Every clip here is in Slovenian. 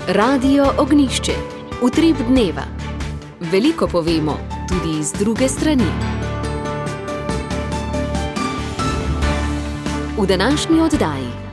Radio Ognjišče. Utrip dneva. Veliko povemo, tudi iz druge strani. V današnji oddaji.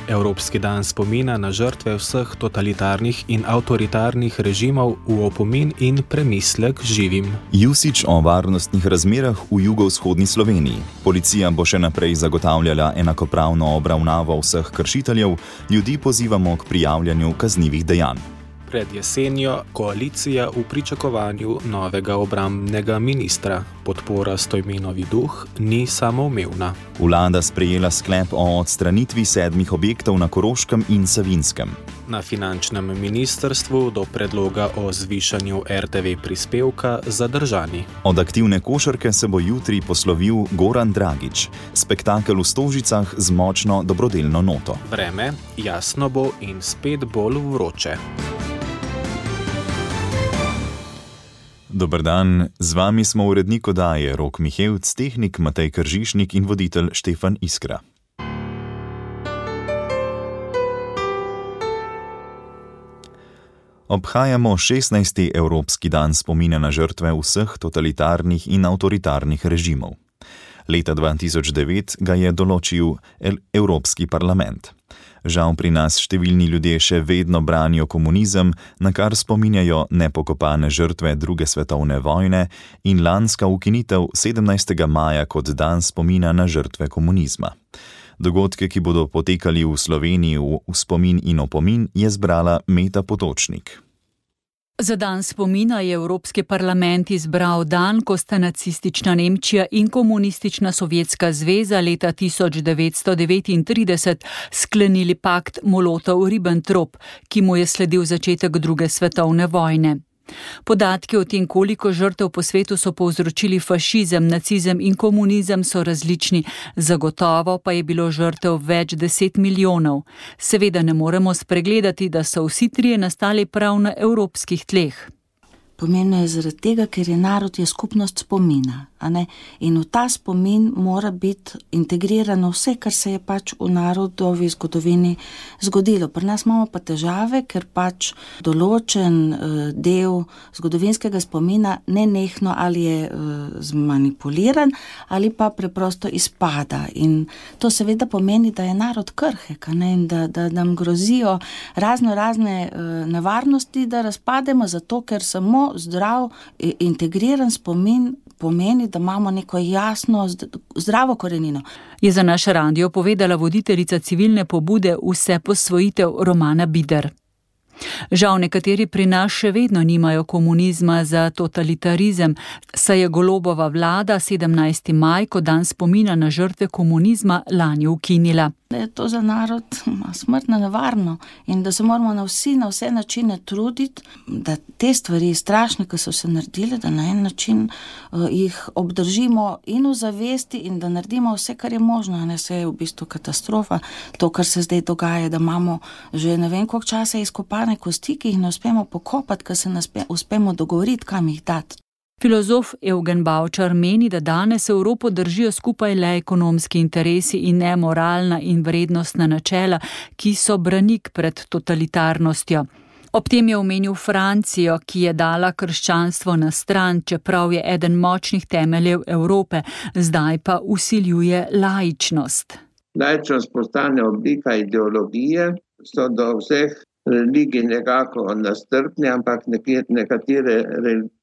Evropski dan spomina na žrtve vseh totalitarnih in avtoritarnih režimov v opomin in premislek živim. Jusič o varnostnih razmerah v jugovzhodni Sloveniji. Policija bo še naprej zagotavljala enakopravno obravnavo vseh kršiteljev, ljudi pozivamo k prijavljanju kaznivih dejanj. Pred jesenjo koalicija v pričakovanju novega obrambnega ministra. Podpora Stojmenovi duh ni samoumevna. Vlada sprejela sklep o odstranitvi 7 objektov na Koroškem in Savinjskem. Na finančnem ministrstvu do predloga o zvišanju RTV prispevka zadržani. Od aktivne košarke se bo jutri poslovil Goran Dragić. Spektakel v Stožicah z močno dobrodelno noto. Vreme jasno bo in spet bolj vroče. Dober dan, z vami smo urednik oddaje Rok Mihevc, tehnik Matej Kržišnik in voditelj Štefan Iskra. Obhajamo 16. Evropski dan spomina na žrtve vseh totalitarnih in avtoritarnih režimov. Leta 2009 ga je določil Evropski parlament. Žal pri nas številni ljudje še vedno branijo komunizem, na kar spominjajo nepokopane žrtve druge svetovne vojne in lanska ukinitev 17. maja kot dan spomina na žrtve komunizma. Dogodke, ki bodo potekali v Sloveniji v spomin in opomin, je zbrala Meta Potočnik. Za dan spomina je Evropski parlament izbral dan, ko sta nacistična Nemčija in komunistična Sovjetska zveza leta 1939 sklenili pakt Molotov-Ribbentrop, ki mu je sledil začetek druge svetovne vojne. Podatki o tem, koliko žrtev po svetu so povzročili fašizem, nacizem in komunizem, so različni, zagotovo pa je bilo žrtev več 10 milijonov. Seveda ne moremo spregledati, da so vsi trije nastali prav na evropskih tleh. Pomembno je zaradi tega, ker je narod je skupnost spomina, a ne? In v ta spomin mora biti integrirano vse, kar se je pač v narodovi zgodovini zgodilo. Pri nas imamo pa težave, ker pač določen del zgodovinskega spomina nenehno ali je zmanipuliran ali pa preprosto izpada. In to seveda pomeni, da je narod krhek, a ne? In da nam grozijo razne nevarnosti, da razpademo zato, ker samo zdrav, integriran spomin pomeni, da imamo neko jasno, zdravo korenino. Je za naš radio povedala voditeljica civilne pobude Vseposvojitev Romana Bider. Žal nekateri pri nas še vedno nimajo komunizma za totalitarizem, saj je Golobova vlada 17. maj kot dan spomina na žrtve komunizma lani ukinila. Da je to za narod smrtno nevarno in da se moramo na vse načine truditi, da te stvari strašne, ki so se naredile, da na en način jih obdržimo in v zavesti in da naredimo vse, kar je možno. Ne, se je v bistvu katastrofa, to, kar se zdaj dogaja, da imamo že ne vem koliko časa izkopane kosti, ki jih ne uspemo pokopati, ker se ne uspemo dogovoriti, kam jih dati. Filozof Evgen Bavčar meni, da danes Evropo držijo skupaj le ekonomski interesi in ne moralna in vrednostna načela, ki so branik pred totalitarnostjo. Ob tem je omenil Francijo, ki je dala krščanstvo na stran, čeprav je eden močnih temeljev Evrope, zdaj pa vsiljuje laičnost. Laičnost postane oblika ideologije, so do vseh religij nekako nastrpne, ampak nekatere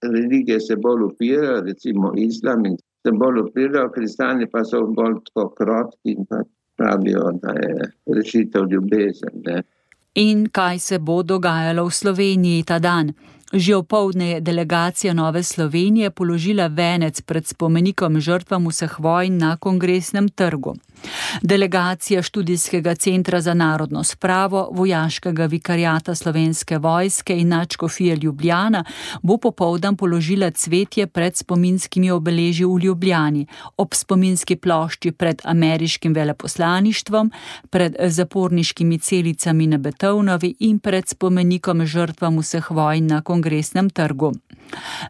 religije se bolj upirajo, recimo islam, in se bolj upirajo, kristjani pa so bolj tako krotki in pa pravijo, da je rešitev ljubezen. Ne? In kaj se bo dogajalo v Sloveniji ta dan? Že opoldne je delegacija Nove Slovenije položila venec pred spomenikom žrtvam vseh vojn na Kongresnem trgu. Delegacija Študijskega centra za narodno spravo, Vojaškega vikariata Slovenske vojske in Nadškofije Ljubljana bo popoldan položila cvetje pred spominskimi obeležji v Ljubljani, ob spominski plošči pred ameriškim veleposlaništvom, pred zaporniškimi celicami na Betovnovi in pred spomenikom žrtvam vseh vojn na Kongresnem trgu.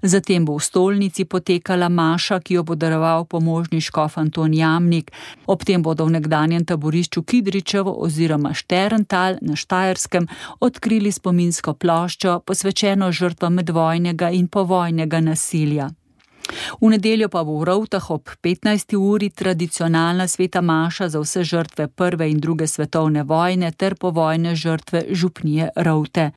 Zatem bo v stolnici potekala maša, ki jo bo daroval pomožni škof Anton Jamnik, ob tem bodo v nekdanjem taborišču Kidričevo oziroma Šterntal na Štajerskem odkrili spominsko ploščo, posvečeno žrtvam medvojnega in povojnega nasilja. V nedeljo pa bo v Rovtah ob 15. uri tradicionalna sveta maša za vse žrtve prve in druge svetovne vojne ter povojne žrtve župnije Rovte.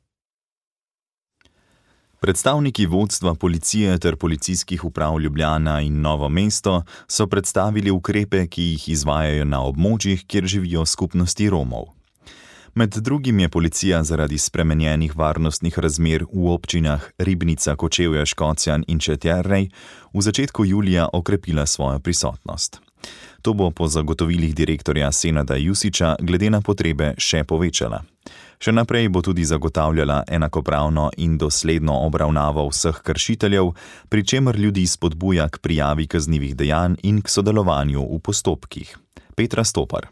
Predstavniki vodstva policije ter policijskih uprav Ljubljana in Novo mesto so predstavili ukrepe, ki jih izvajajo na območjih, kjer živijo skupnosti Romov. Med drugim je policija zaradi spremenjenih varnostnih razmer v občinah Ribnica, Kočevje, Škocjan in Četjernej v začetku julija okrepila svojo prisotnost. To bo po zagotovilih direktorja Senada Jusića glede na potrebe še povečala. Še naprej bo tudi zagotavljala enakopravno in dosledno obravnavo vseh kršiteljev, pri čemer ljudi spodbuja k prijavi kaznivih dejanj in k sodelovanju v postopkih. Petra Stopar.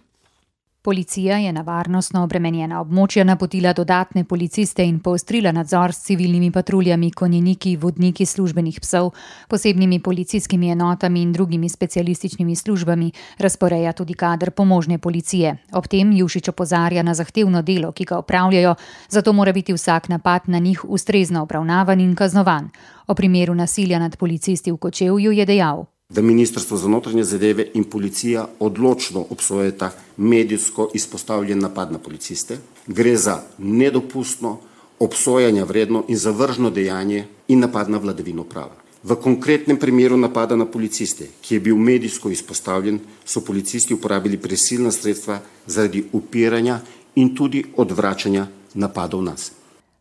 Policija je na varnostno obremenjena območja napotila dodatne policiste in poostrila nadzor s civilnimi patruljami, konjeniki, vodniki službenih psov, posebnimi policijskimi enotami in drugimi specialističnimi službami, razporeja tudi kader pomožne policije. Ob tem Jušić opozarja na zahtevno delo, ki ga opravljajo, zato mora biti vsak napad na njih ustrezno obravnavan in kaznovan. O primeru nasilja nad policisti v Kočevju je dejal: da Ministrstvo za notranje zadeve in policija odločno obsojata medijsko izpostavljen napad na policiste. Gre za nedopustno, obsojanja vredno in zavržno dejanje in napad na vladavino prava. V konkretnem primeru napada na policiste, ki je bil medijsko izpostavljen, so policisti uporabili prisilna sredstva zaradi upiranja in tudi odvračanja napadov nas.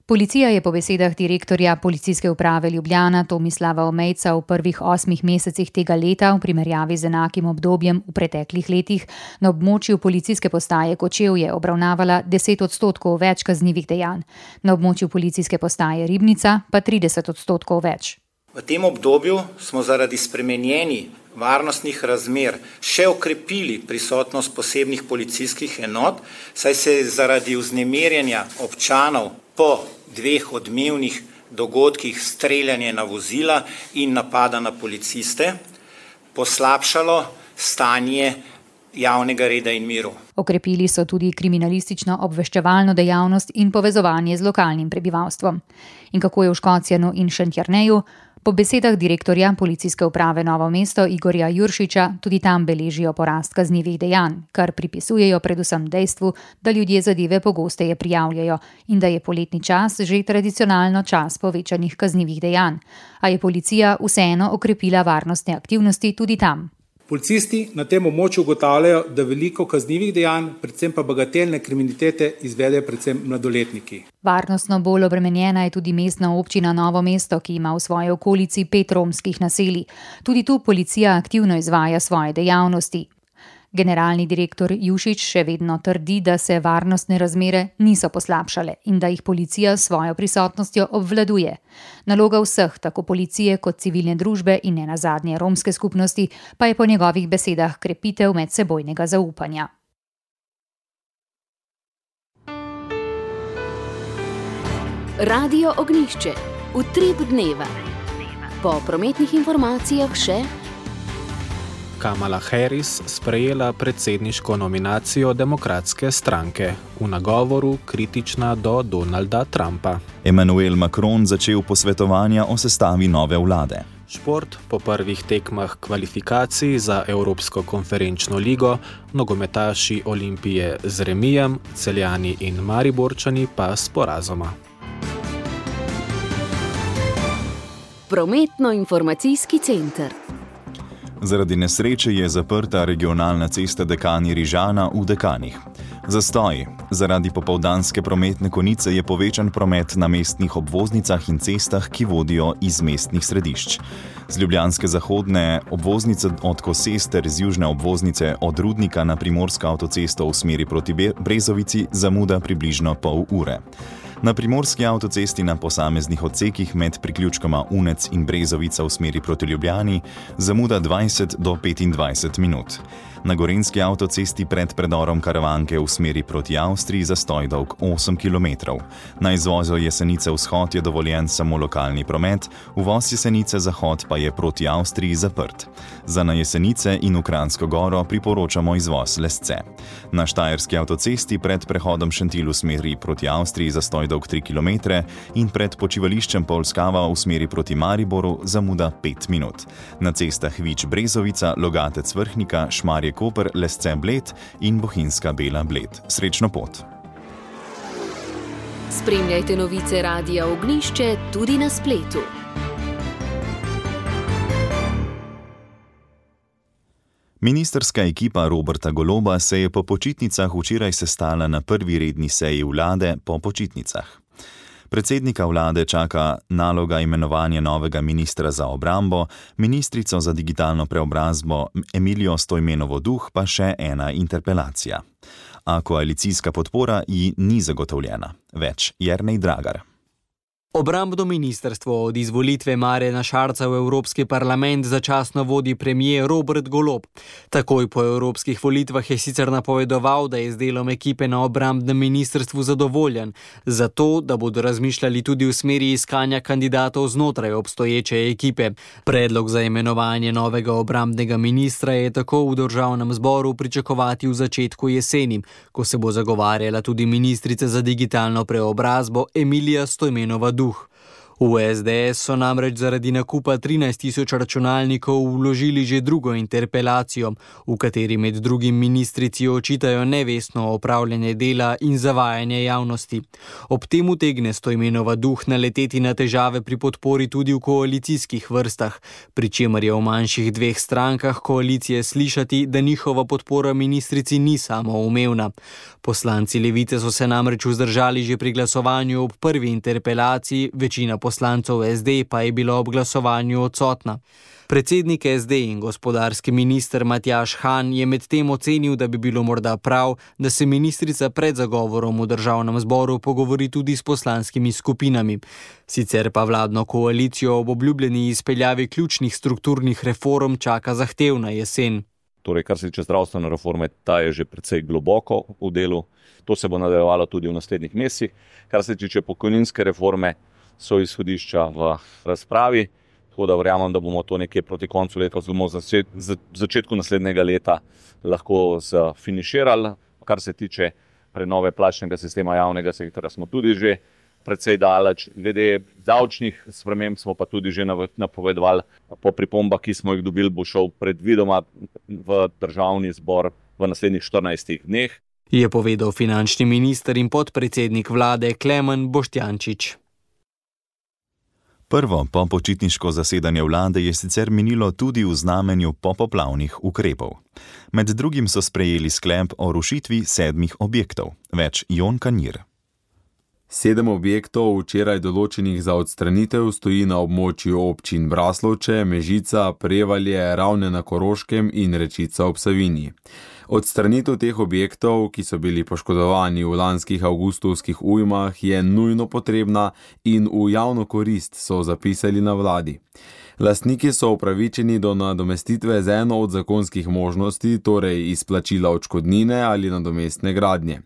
Policija je po besedah direktorja Policijske uprave Ljubljana Tomislava Omejca v prvih 8 mesecih tega leta v primerjavi z enakim obdobjem v preteklih letih na območju policijske postaje Kočevje obravnavala 10% več kaznivih dejanj, na območju policijske postaje Ribnica pa 30% več. V tem obdobju smo zaradi spremenjenih varnostnih razmer še okrepili prisotnost posebnih policijskih enot, saj se je zaradi vznemirjenja občanov po 2 odmevnih dogodkih streljanje na vozila in napada na policiste poslabšalo stanje javnega reda in miru. Okrepili so tudi kriminalistično obveščevalno dejavnost in povezovanje z lokalnim prebivalstvom. In kako je v Škocjanu in Šentjerneju? Po besedah direktorja Policijske uprave Novo mesto Igorja Juršića tudi tam beležijo porast kaznivih dejanj, kar pripisujejo predvsem dejstvu, da ljudje zadeve pogosteje prijavljajo in da je poletni čas že tradicionalno čas povečanih kaznivih dejanj. A je policija vseeno okrepila varnostne aktivnosti tudi tam. Policisti na tem območju ugotavljajo, da veliko kaznivih dejanj, predvsem pa bagatelne kriminalitete, izvedejo predvsem mladoletniki. Varnostno bolj obremenjena je tudi mestna občina Novo mesto, ki ima v svoji okolici 5 romskih naselij. Tudi tu policija aktivno izvaja svoje dejavnosti. Generalni direktor Jušić še vedno trdi, da se varnostne razmere niso poslabšale in da jih policija s svojo prisotnostjo obvladuje. Naloga vseh, tako policije kot civilne družbe in nenazadnje romske skupnosti, pa je po njegovih besedah krepitev medsebojnega zaupanja. Radio Ognjišče. Utrip dneva. Po prometnih informacijah še Kamala Harris sprejela predsedniško nominacijo Demokratske stranke, v nagovoru kritična do Donalda Trumpa. Emmanuel Macron začel posvetovanja o sestavi nove vlade. Šport po prvih tekmah kvalifikacij za Evropsko konferenčno ligo, nogometaši Olimpije z remijem, Celjani in Mariborčani pa s porazoma. Prometno-informacijski center. Zaradi nesreče je zaprta regionalna cesta Dekani-Rižana v Dekanih. Zastoj. Zaradi popoldanske prometne konice je povečan promet na mestnih obvoznicah in cestah, ki vodijo iz mestnih središč. Z ljubljanske zahodne obvoznice od Koses ter z južne obvoznice od Rudnika na Primorsko avtocesto v smeri proti Brezovici zamuda približno pol ure. Na primorski avtocesti na posameznih odsekih med priključkoma Unec in Brezovica v smeri proti Ljubljani zamuda 20 do 25 minut. Na gorenjski avtocesti pred predorom Karavanke v smeri proti Avstriji zastoj dolg 8 km. Na izvozu Jesenice vzhod je dovoljen samo lokalni promet, uvoz Jesenice zahod pa je proti Avstriji zaprt. Za na Jesenice in v Kranjsko Goro priporočamo izvoz Lesce. Na štajerski avtocesti pred prehodom Šentilj v smeri proti Avstriji zastoj dolg 3 km in pred počivališčem Polskava v smeri proti Mariboru zamuda 5 minut. Na cestah Vič-Brezovica, Logatec-Vrhnika, Šmarje-Koper, Lesce-Bled in Bohinjska Bela-Bled. Srečno pot! Spremljajte novice Radia Ognjišče tudi na spletu. Ministrska ekipa Roberta Goloba se je po počitnicah včeraj sestala na prvi redni seji vlade po počitnicah. Predsednika vlade čaka naloga imenovanja novega ministra za obrambo, ministrico za digitalno preobrazbo Emilijo Stojmenovo Duh pa še ena interpelacija. A koalicijska podpora ji ni zagotovljena. Več Jernej Dragar. Obrambno ministrstvo od izvolitve Marjana Šarca v Evropski parlament začasno vodi premier Robert Golob. Takoj po evropskih volitvah je sicer napovedoval, da je z delom ekipe na obrambnem ministrstvu zadovoljen, zato da bodo razmišljali tudi v smeri iskanja kandidatov znotraj obstoječe ekipe. Predlog za imenovanje novega obrambnega ministra je tako v državnem zboru pričakovati v začetku jeseni, ko se bo zagovarjala tudi ministrica za digitalno preobrazbo Emilija Stojmenova Duh. V SDS so namreč zaradi nakupa 13.000 računalnikov vložili že drugo interpelacijo, v kateri med drugim ministrici očitajo nevestno opravljanje dela in zavajanje javnosti. Ob tem utegne Stojmenova Duh naleteti na težave pri podpori tudi v koalicijskih vrstah, pri čemer je v manjših dveh strankah koalicije slišati, da njihova podpora ministrici ni samoumevna. Poslanci Levice so se namreč vzdržali že pri glasovanju ob prvi interpelaciji, večina poslancev SD pa je bila ob glasovanju odsotna. Predsednik SD in gospodarski minister Matjaž Han je medtem ocenil, da bi bilo morda prav, da se ministrica pred zagovorom v državnem zboru pogovori tudi s poslanskimi skupinami. Sicer pa vladno koalicijo ob obljubljeni izpeljavi ključnih strukturnih reform čaka zahtevna jesen. Torej, kar se tiče zdravstvene reforme, ta je že precej globoko v delu. To se bo nadaljevalo tudi v naslednjih mesecih. Kar se tiče pokojninske reforme, so izhodišča v razpravi, tako da verjamem, da bomo to nekje proti koncu leta oziroma začetku naslednjega leta lahko zafiniširali. Kar se tiče prenove plačnega sistema javnega sektorja, smo tudi že precej daleč. Glede davčnih sprememb smo pa tudi že napovedovali. Po pripombah, ki smo jih dobili, bo šel predvidoma v državni zbor v naslednjih 14 dneh. Je povedal finančni minister in podpredsednik vlade Klemen Boštjančič. Prvo popočitniško zasedanje vlade je sicer minilo tudi v znamenju popoplavnih ukrepov. Med drugim so sprejeli sklep o rušitvi 7 objektov. Več Jon Kanjir. 7 objektov, včeraj določenih za odstranitev, stoji na območju občin Braslovče, Mežica, Prevalje, Ravne na Koroškem in Rečica ob Savinji. Odstranitev teh objektov, ki so bili poškodovani v lanskih avgustovskih ujmah, je nujno potrebna in v javno korist, so zapisali na vladi. Lastniki so upravičeni do nadomestitve z eno od zakonskih možnosti, torej izplačila odškodnine ali nadomestne gradnje.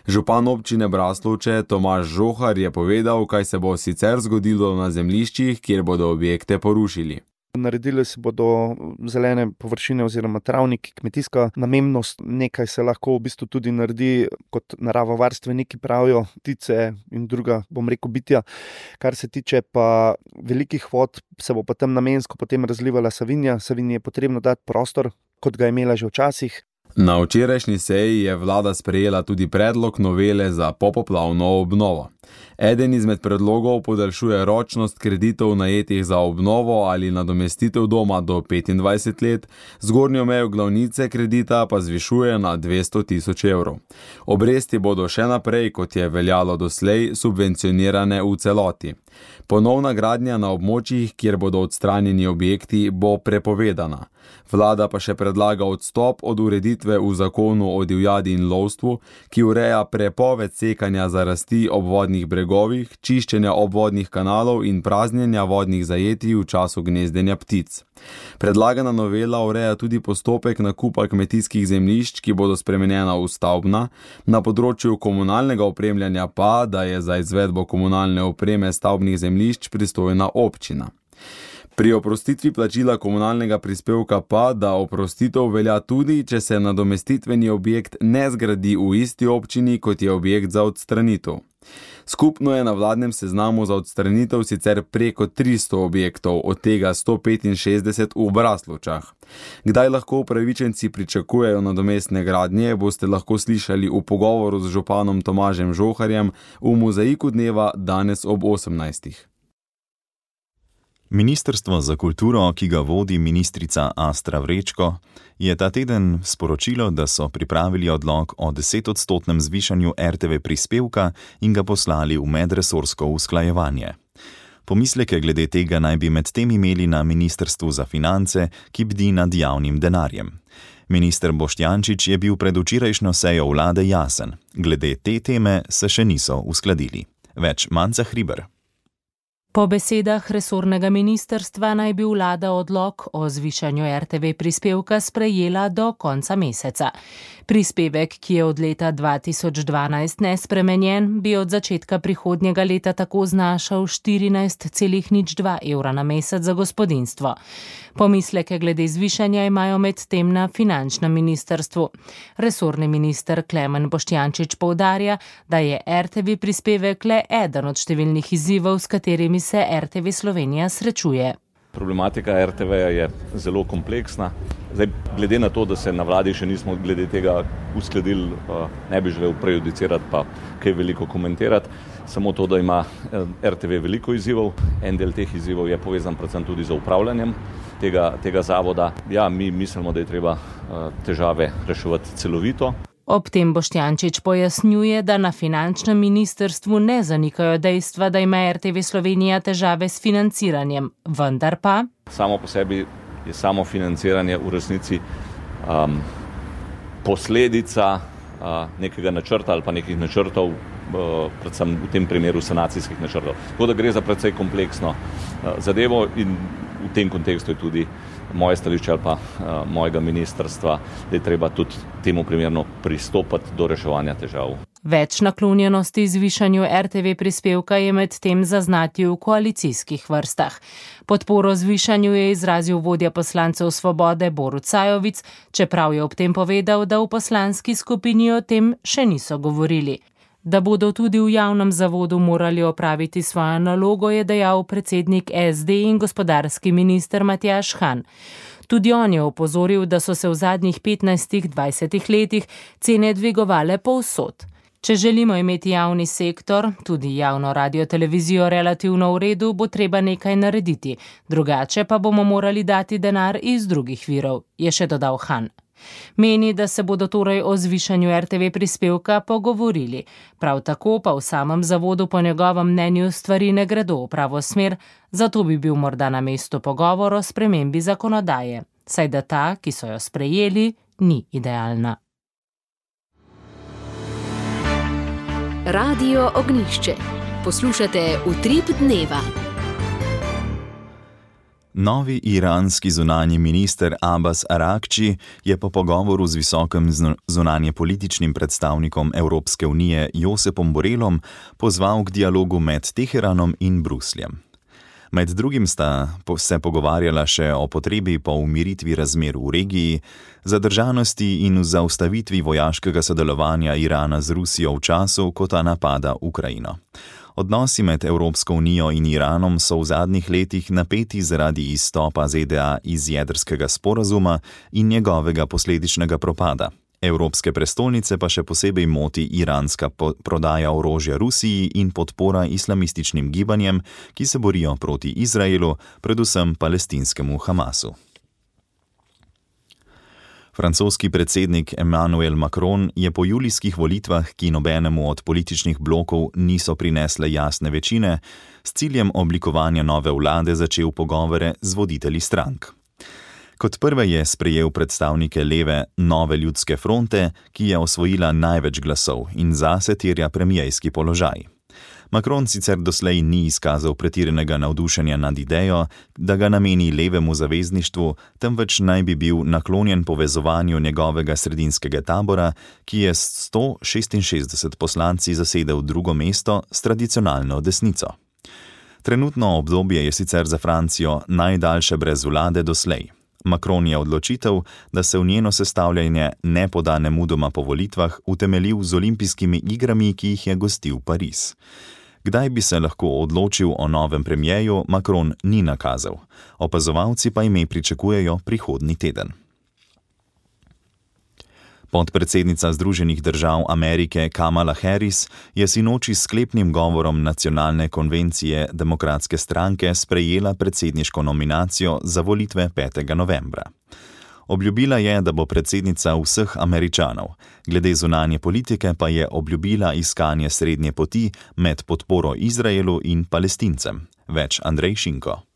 Župan občine Braslovče Tomaž Žohar je povedal, kaj se bo sicer zgodilo na zemljiščih, kjer bodo objekte porušili. Naredili se bodo zelene površine oziroma travniki, kmetijska namembnost, nekaj se lahko v bistvu tudi naredi, kot naravovarstveniki pravijo, ptice in druga, bitja. Kar se tiče pa velikih vod, se bo potem namensko potem razlivala Savinja. Savinji je potrebno dati prostor, kot ga je imela že včasih. Na včerajšnji seji je vlada sprejela tudi predlog novele za popoplavno obnovo. Eden izmed predlogov podaljšuje ročnost kreditov najetih za obnovo ali nadomestitev doma do 25 let, zgornjo mejo glavnice kredita pa zvišuje na 200.000 evrov. Obresti bodo še naprej, kot je veljalo doslej, subvencionirane v celoti. Ponovna gradnja na območjih, kjer bodo odstranjeni objekti, bo prepovedana. Vlada pa še predlaga odstop od ureditve rešitve v zakonu o divjadi in lovstvu, ki ureja prepoved sekanja zarasti ob vodnih bregovih, čiščenja obvodnih kanalov in praznjenja vodnih zajetij v času gnezdenja ptic. Predlagana novela ureja tudi postopek nakupa kmetijskih zemljišč, ki bodo spremenjena v stavbna, na področju komunalnega opremljanja pa, da je za izvedbo komunalne opreme stavbnih zemljišč pristojna občina. Pri oprostitvi plačila komunalnega prispevka pa, da oprostitev velja tudi, če se nadomestitveni objekt ne zgradi v isti občini, kot je objekt za odstranitev. Skupno je na vladnem seznamu za odstranitev sicer preko 300 objektov, od tega 165 v Braslovčah. Kdaj lahko upravičenci pričakujejo nadomestne gradnje, boste lahko slišali v pogovoru z županom Tomažem Žoharjem v Mozaiku dneva danes ob 18. Ministrstvo za kulturo, ki ga vodi ministrica Astra Vrečko, je ta teden sporočilo, da so pripravili odlok o 10-odstotnem zvišanju RTV prispevka in ga poslali v medresorsko usklajevanje. Pomisleke glede tega naj bi med tem imeli na Ministrstvu za finance, ki bdi nad javnim denarjem. Minister Boštjančič je bil pred včerajšnjo sejo vlade jasen. Glede te teme se še niso uskladili. Več Manca Hriber. Po besedah resornega ministrstva naj bi vlada odlok o zvišanju RTV prispevka sprejela do konca meseca. Prispevek, ki je od leta 2012 nespremenjen, bi od začetka prihodnjega leta tako znašal 14,02 evra na mesec za gospodinjstvo. Pomisleke glede zvišanja imajo medtem na finančnem ministrstvu. Resorni minister Klemen Boštjančič poudarja, da je RTV prispevek le eden od številnih izzivov, s katerimi se RTV Slovenija srečuje. Problematika RTV-ja je zelo kompleksna. Zdaj, glede na to, da se na vladi še nismo glede tega uskladili, ne bi želel prejudicirati pa kaj veliko komentirati. Samo to, da ima RTV veliko izzivov. En del teh izzivov je povezan predvsem tudi z upravljanjem tega zavoda. Ja, mi mislimo, da je treba težave reševati celovito. Ob tem Boštjančič pojasnjuje, da na finančnem ministrstvu ne zanikajo dejstva, da ima RTV Slovenija težave s financiranjem, vendar pa samo po sebi je samo financiranje v resnici posledica nekega načrta ali pa nekih načrtov, predvsem v tem primeru sanacijskih načrtov. Tako da gre za precej kompleksno zadevo in v tem kontekstu je tudi moje stališče ali pa mojega ministrstva, da je treba tudi temu primerno pristopati do reševanja težav. Več naklonjenosti zvišanju RTV prispevka je med tem zaznati v koalicijskih vrstah. Podporo zvišanju je izrazil vodja poslancev Svobode Borut Sajovic, čeprav je ob tem povedal, da v poslanski skupini o tem še niso govorili. Da bodo tudi v javnem zavodu morali opraviti svojo nalogo, je dejal predsednik SD in gospodarski minister Matjaž Han. Tudi on je opozoril, da so se v zadnjih 15-20 letih cene dvigovale povsod. Če želimo imeti javni sektor, tudi javno radiotelevizijo relativno v redu, bo treba nekaj narediti, drugače pa bomo morali dati denar iz drugih virov, je še dodal Han. Meni, da se bodo torej o zvišanju RTV prispevka pogovorili. Prav tako pa v samem zavodu po njegovem mnenju stvari ne gredo v pravo smer, zato bi bil morda na mestu pogovor o spremembi zakonodaje, saj da ta, ki so jo sprejeli, ni idealna. Radio Ognjišče. Poslušate Utrip dneva. Novi iranski zunanji minister Abbas Arakči je po pogovoru z visokim zunanjepolitičnim predstavnikom Evropske unije Josepom Borelom pozval k dialogu med Teheranom in Brusljem. Med drugim sta se pogovarjala še o potrebi po umiritvi razmer v regiji, zadržanosti in zaustavitvi vojaškega sodelovanja Irana z Rusijo v času, ko ta napada Ukrajino. Odnosi med Evropsko unijo in Iranom so v zadnjih letih napeti zaradi izstopa ZDA iz jedrskega sporazuma in njegovega posledičnega propada. Evropske prestolnice pa še posebej moti iranska prodaja orožja Rusiji in podpora islamističnim gibanjem, ki se borijo proti Izraelu, predvsem palestinskemu Hamasu. Francoski predsednik Emmanuel Macron je po julijskih volitvah, ki nobenemu od političnih blokov niso prinesle jasne večine, s ciljem oblikovanja nove vlade začel pogovore z voditelji strank. Kot prve je sprejel predstavnike leve Nove ljudske fronte, ki je osvojila največ glasov in zase terja premijejski položaj. Macron sicer doslej ni izkazal pretiranega navdušenja nad idejo, da ga nameni levemu zavezništvu, temveč naj bi bil naklonjen povezovanju njegovega sredinskega tabora, ki je s 166 poslanci zasedel drugo mesto s tradicionalno desnico. Trenutno obdobje je sicer za Francijo najdaljše brez vlade doslej. Macron je odločitev, da se v njeno sestavljanje ne poda nemudoma po volitvah, utemeljil z olimpijskimi igrami, ki jih je gostil Pariz. Kdaj bi se lahko odločil o novem premijeju, Macron ni nakazal. Opazovalci pa ime pričakujejo prihodnji teden. Podpredsednica Združenih držav Amerike Kamala Harris je sinoči s sklepnim govorom Nacionalne konvencije Demokratske stranke sprejela predsedniško nominacijo za volitve 5. novembra. Obljubila je, da bo predsednica vseh Američanov, glede zunanje politike pa je obljubila iskanje srednje poti med podporo Izraelu in Palestincem. Več Andrej Šinko.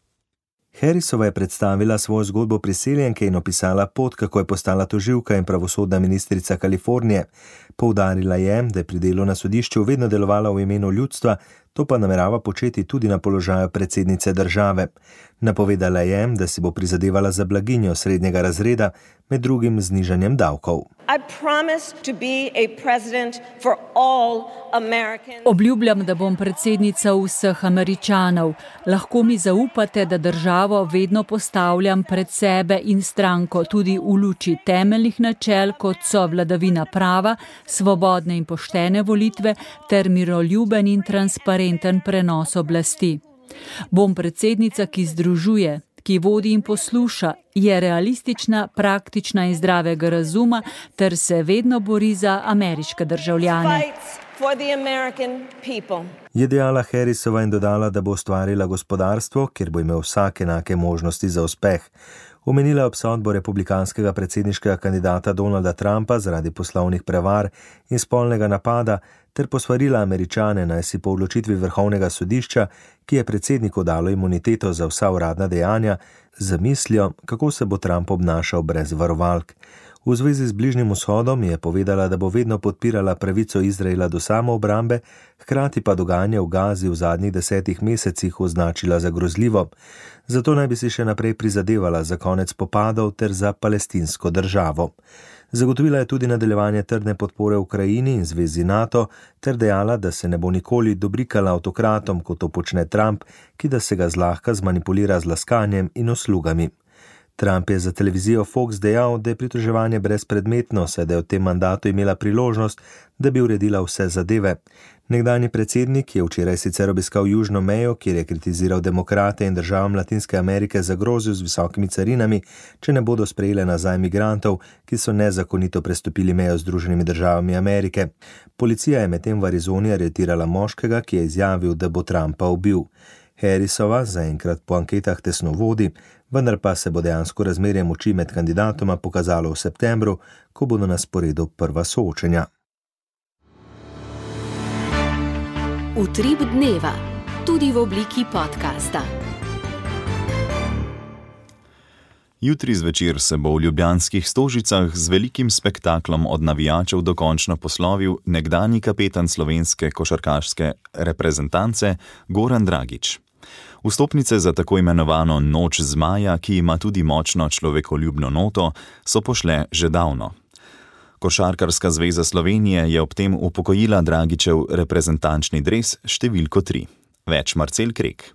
Harrisova je predstavila svojo zgodbo priseljenke in opisala pot, kako je postala tožilka in pravosodna ministrica Kalifornije. Poudarila je, da je pri delu na sodišču vedno delovala v imenu ljudstva, to pa namerava početi tudi na položaju predsednice države. Napovedala je, da si bo prizadevala za blaginjo srednjega razreda, med drugim z nižanjem davkov. Obljubljam, da bom predsednica vseh Američanov. Lahko mi zaupate, da državo vedno postavljam pred sebe in stranko tudi v luči temeljnih načel, kot so vladavina prava, svobodne in poštene volitve ter miroljuben in transparenten prenos oblasti. Bom predsednica, ki združuje, ki vodi in posluša, je realistična, praktična in zdravega razuma ter se vedno bori za ameriške državljane. Je dejala Harrisova in dodala, da bo ustvarila gospodarstvo, kjer bo imel vsak enake možnosti za uspeh. Omenila obsodbo republikanskega predsedniškega kandidata Donalda Trumpa zaradi poslovnih prevar in spolnega napada ter posvarila Američane, naj si po odločitvi Vrhovnega sodišča, ki je predsedniku dalo imuniteto za vsa uradna dejanja, zamislijo, kako se bo Trump obnašal brez varovalk. V zvezi z Bližnjim vzhodom je povedala, da bo vedno podpirala pravico Izraela do samoobrambe, hkrati pa dogajanje v Gazi v zadnjih 10 mesecih označila za grozljivo. Zato naj bi si še naprej prizadevala za konec spopadov ter za palestinsko državo. Zagotovila je tudi nadaljevanje trdne podpore Ukrajini in zvezi NATO ter dejala, da se ne bo nikoli dobrikala avtokratom, kot to počne Trump, ki da se ga zlahka zmanipulira z laskanjem in uslugami. Trump je za televizijo Fox dejal, da je pritoževanje brezpredmetno, saj da je v tem mandatu imela priložnost, da bi uredila vse zadeve. Nekdanji predsednik je včeraj sicer obiskal južno mejo, kjer je kritiziral demokrate in državam Latinske Amerike zagrozil z visokimi carinami, če ne bodo sprejele nazaj migrantov, ki so nezakonito prestopili mejo z Združenimi državami Amerike. Policija je medtem v Arizoni aretirala moškega, ki je izjavil, da bo Trumpa ubil. Harrisova zaenkrat po anketah tesno vodi, vendar pa se bo dejansko razmerje moči med kandidatoma pokazalo v septembru, ko bodo na sporedu prva soočenja. Utrip dneva, tudi v obliki podcasta. Jutri zvečer se bo v ljubljanskih Stožicah z velikim spektaklom od navijačev dokončno poslovil nekdanji kapetan slovenske košarkarske reprezentance Goran Dragić. Vstopnice za tako imenovano Noč zmaja, ki ima tudi močno človekoljubno noto, so pošle že davno. Košarkarska zveza Slovenije je ob tem upokojila Dragićev reprezentančni dres številko 3. Več Marcel Krek.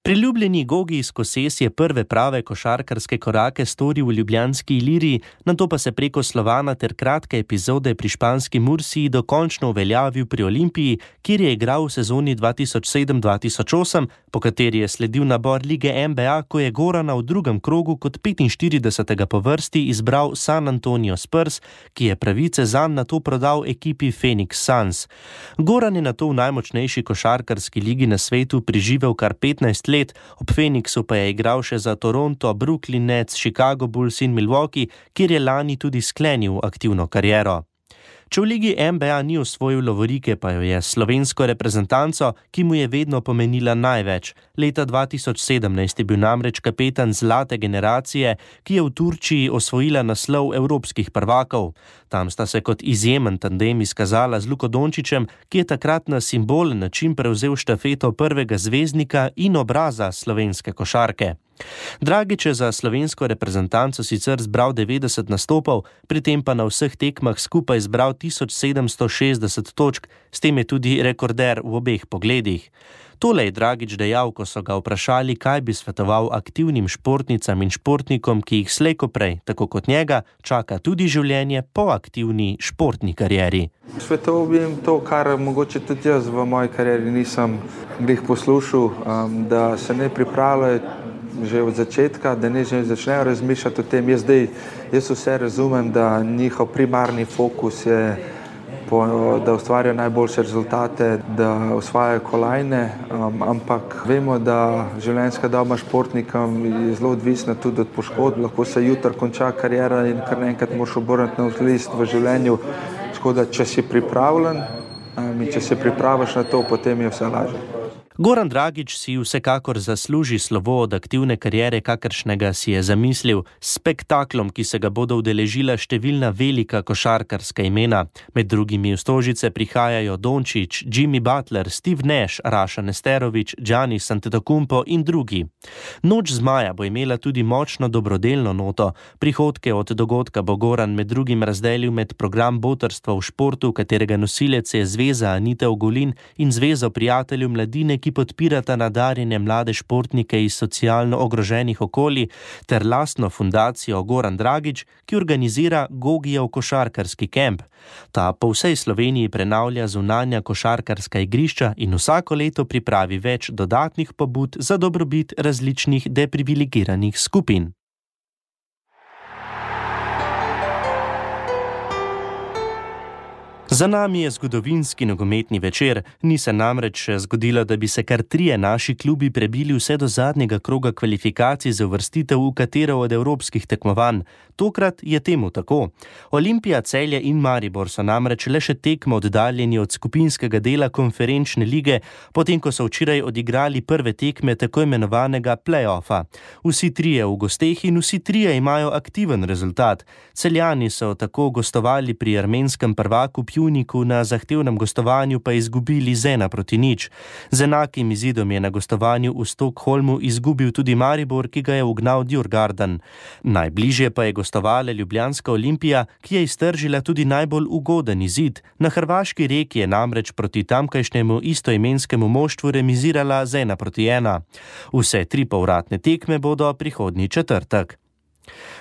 Priljubljeni Gogi iz Koses je prve prave košarkarske korake storil v ljubljanski Iliriji, nato pa se preko Slovana ter kratke epizode pri španski Mursiji dokončno uveljavil pri Olimpiji, kjer je igral v sezoni 2007-2008, po kateri je sledil nabor lige NBA, ko je Gorana v drugem krogu kot 45. po vrsti izbral San Antonio Spurs, ki je pravice zanj nato prodal ekipi Phoenix Suns. Goran je nato v najmočnejši košarkarski ligi na svetu preživel kar 15 let, ob Phoenixu pa je igral še za Toronto, Brooklyn Nets, Chicago Bulls in Milwaukee, kjer je lani tudi sklenil aktivno kariero. Če v ligi NBA ni osvojil lovorike, pa jo je slovensko reprezentanco, ki mu je vedno pomenila največ. Leta 2017 je bil namreč kapetan zlate generacije, ki je v Turčiji osvojila naslov evropskih prvakov. Tam sta se kot izjemen tandem izkazala z Luko Dončićem, ki je takrat na simbolen način prevzel štafeto prvega zvezdnika in obraza slovenske košarke. Dragić je za slovensko reprezentanco sicer zbral 90 nastopov, pri tem pa na vseh tekmah skupaj zbral 1760 točk, s tem je tudi rekorder v obeh pogledih. Tole je Dragić dejal, ko so ga vprašali, kaj bi svetoval aktivnim športnicam in športnikom, ki jih slej ko prej, tako kot njega, čaka tudi življenje po aktivni športni karieri. Svetoval bi jim to, kar mogoče tudi jaz v moji karieri nisem glih poslušal, da se ne pripravljajo že od začetka, da ne že začnejo razmišljati o tem. Jaz vse razumem, da njihov primarni fokus je, da ustvarjajo najboljše rezultate, da osvajajo kolajne, ampak vemo, da življenjska doba športnikom je zelo odvisna tudi od poškodb. Lahko se jutri konča kariera in kar naenkrat moraš obrniti nov list v življenju. Tako da, če si pripravljen in če se pripraviš na to, potem je vse lažje. Goran Dragić si vsekakor zasluži slovo od aktivne kariere, kakršnega si je zamislil, s spektaklom, ki se ga bodo udeležila številna velika košarkarska imena. Med drugimi v Stožice prihajajo Dončić, Jimmy Butler, Steve Nash, Raša Nesterović, Giannis Antetokounmpo in drugi. Noč zmaja bo imela tudi močno dobrodelno noto. Prihodke od dogodka bo Goran med drugim razdelil med program botrstva v športu, katerega nosilec je Zveza Anite Ogulin in Zvezo prijateljev mladine, ki podpirata nadarjene mlade športnike iz socialno ogroženih okolij, ter lastno fundacijo Goran Dragić, ki organizira Gogijev košarkarski kemp. Ta po vsej Sloveniji prenavlja zunanja košarkarska igrišča in vsako leto pripravi več dodatnih pobud za dobrobit različnih deprivilegiranih skupin. Za nami je zgodovinski nogometni večer. Ni se namreč zgodilo, da bi se kar 3 naši klubi prebili vse do zadnjega kroga kvalifikacij za uvrstitev v katero od evropskih tekmovanj. Tokrat je temu tako. Olimpija, Celje in Maribor so namreč le še tekmo oddaljeni od skupinskega dela konferenčne lige, potem ko so včeraj odigrali prve tekme tako imenovanega play-offa. Vsi 3 v gosteh in vsi 3 imajo aktiven rezultat. Celjani so tako gostovali pri armenskem prvaku Pjuniku, na zahtevnem gostovanju pa izgubili z 1-0. Z enakim izidom je na gostovanju v Stockholmu izgubil tudi Maribor, ki ga je ugnal Djurgården. Najbližje pa je gostovala ljubljanska Olimpija, ki je iztržila tudi najbolj ugoden izid. Na hrvaški Reki je namreč proti tamkajšnjemu istoimenskemu moštvu remizirala z 1-1. Vse 3 povratne tekme bodo prihodnji četrtek.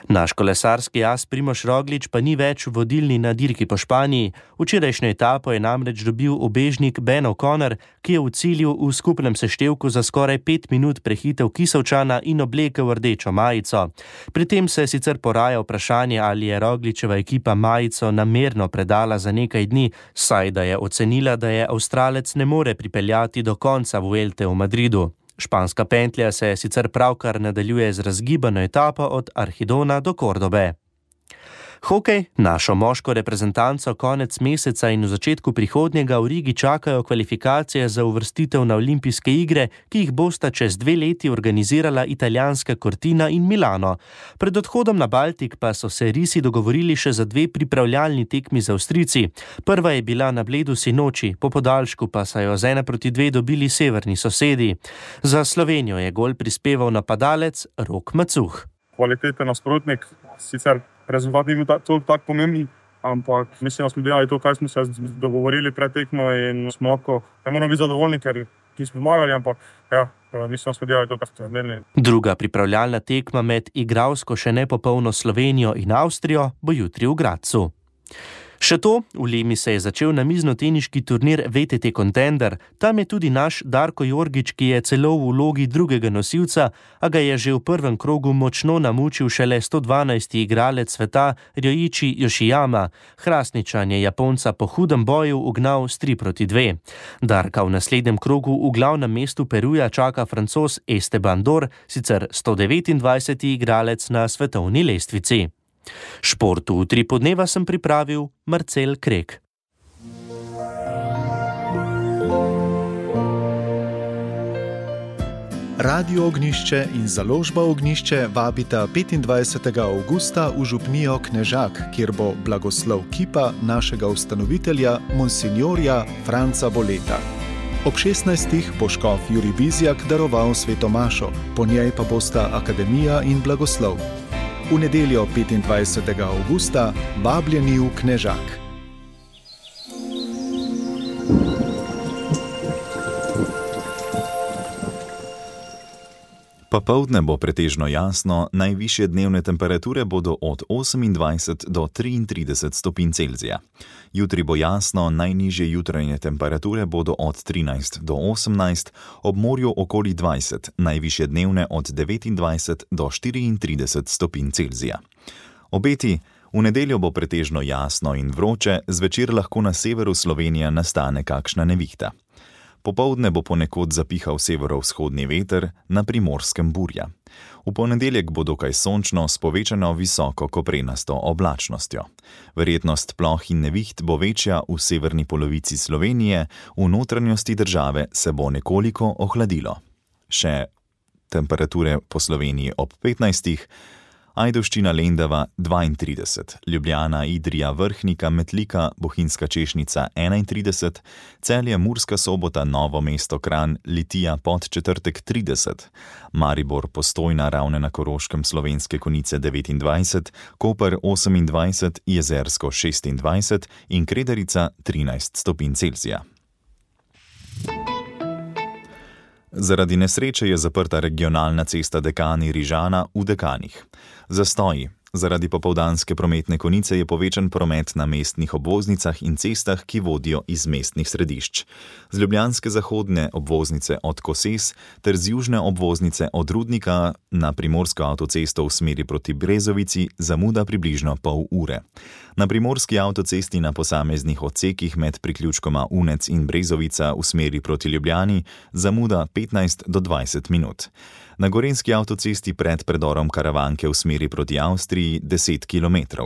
Naš kolesarski as Primož Roglič pa ni več vodilni na dirki po Španiji. Včerajšnjo etapo je namreč dobil ubežnik Ben O'Connor, ki je v cilju v skupnem seštevku za skoraj 5 minut prehitel Kisovčana in oblekel rdečo majico. Pri tem se sicer poraja vprašanje, ali je Rogličeva ekipa majico namerno predala za nekaj dni, saj da je ocenila, da je Avstralec ne more pripeljati do konca Vuelte v Madridu. Španska pentlja se sicer pravkar nadaljuje z razgibano etapo od Arhidona do Kordobe. Hokej, našo moško reprezentanco konec meseca in v začetku prihodnjega v Rigi čakajo kvalifikacije za uvrstitev na olimpijske igre, ki jih bosta čez 2 leti organizirala italijanska Cortina in Milano. Pred odhodom na Baltik pa so se risi dogovorili še za 2 pripravljalni tekmi z Avstrijci. Prva je bila na Bledu sinoči, po podaljšku pa so jo z 1-2 dobili severni sosedi. Za Slovenijo je gol prispeval napadalec Rok Macuh. Kvaliteten nasprotnik, sicer rezultat ni bil tako pomemben, ampak mislim, da smo delali to, kaj smo se dogovorili pred tekmo in smo lahko, ne moramo biti zadovoljni, ker nismo zmagali, ampak mislim, da smo delali to, kar smo delali. Druga pripravljalna tekma med igralsko še nepopolno Slovenijo in Avstrijo bo jutri v Gradcu. Še to, v Lemi se je začel namiznoteniški turnir VTT Contender. Tam je tudi naš Darko Jorgič, ki je celo v vlogi drugega nosilca, a ga je že v prvem krogu močno namučil šele 112. igralec sveta Ryoichi Yoshiyama. Hrastničan je Japonca po hudem boju ugnal s 3-2. Darka v naslednjem krogu v glavnem mestu Peruja čaka Francoz Esteban Dor, sicer 129. igralec na svetovni lestvici. Šport v Utripu dneva sem pripravil Marcel Krek. Radio Ognišče in založba Ognišče vabita 25. avgusta v župnijo Knežak, kjer bo blagoslov kipa našega ustanovitelja, monsignorja Franca Boleta. Ob 16. bo škof Jurij Bizjak daroval svetomašo, po njej pa bosta akademija in blagoslov. V nedeljo 25. avgusta vabljeni v Knežak. Popoldne bo pretežno jasno, najvišje dnevne temperature bodo od 28 do 33 stopinj Celzija. Jutri bo jasno, najnižje jutranje temperature bodo od 13 do 18, ob morju okoli 20, najvišje dnevne od 29 do 34 stopinj Celzija. Obeti: v nedeljo bo pretežno jasno in vroče, zvečer lahko na severu Slovenije nastane kakšna nevihta. Popoldne bo ponekod zapihal severovzhodni veter, na Primorskem burja. V ponedeljek bo dokaj sončno s povečano visoko koprenasto oblačnostjo. Verjetnost ploh in neviht bo večja v severni polovici Slovenije, v notranjosti države se bo nekoliko ohladilo. Še temperature po Sloveniji ob 15. Ajdovščina, Lendava 32, Ljubljana, Idrija, Vrhnika, Metlika, Bohinjska Češnica 31, Celje, Murska Sobota, Novo mesto, Kranj, Litija, Podčetrtek 30, Maribor, Postojna, Ravne na Koroškem, Slovenske Konjice 29, Koper 28, Jezersko 26 in Kredarica 13 stopinj Celzija. Zaradi nesreče je zaprta regionalna cesta Dekani-Rižana v Dekanih. Zastoji. Zaradi popoldanske prometne konice je povečan promet na mestnih obvoznicah in cestah, ki vodijo iz mestnih središč. Z ljubljanske zahodne obvoznice od Koses ter z južne obvoznice od Rudnika na Primorsko avtocesto v smeri proti Brezovici zamuda približno pol ure. Na primorski avtocesti na posameznih odsekih med priključkoma Unec in Brezovica v smeri proti Ljubljani zamuda 15 do 20 minut. Na gorenjski avtocesti pred predorom Karavanke v smeri proti Avstriji 10 km.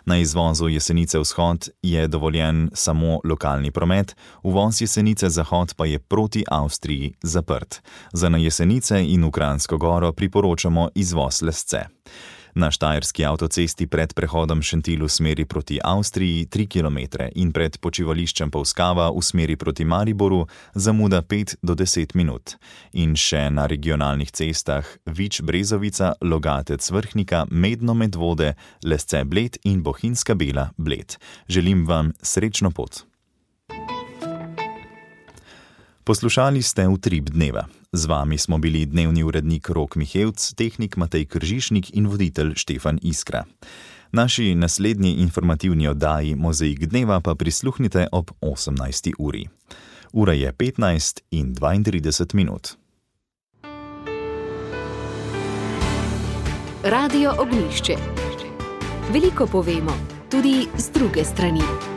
Na izvozu Jesenice vzhod je dovoljen samo lokalni promet, uvoz Jesenice zahod pa je proti Avstriji zaprt. Za na Jesenice in v Kranjsko Goro priporočamo izvoz Lesce. Na štajerski avtocesti pred prehodom Šentilj v smeri proti Avstriji 3 km in pred počivališčem Polskava v smeri proti Mariboru zamuda 5 do 10 minut. In še na regionalnih cestah Vič Brezovica, Logatec Vrhnika, Medno Medvode, Lesce Bled in Bohinjska Bela Bled. Želim vam srečno pot. Poslušali ste Utrip dneva. Z vami smo bili dnevni urednik Rok Mihevc, tehnik Matej Kržišnik in voditelj Štefan Iskra. Naši naslednji informativni oddaji Mozaik dneva pa prisluhnite ob 18. uri. Ura je 15 in 32 minut. Radio Ognišče. Veliko povemo, tudi z druge strani.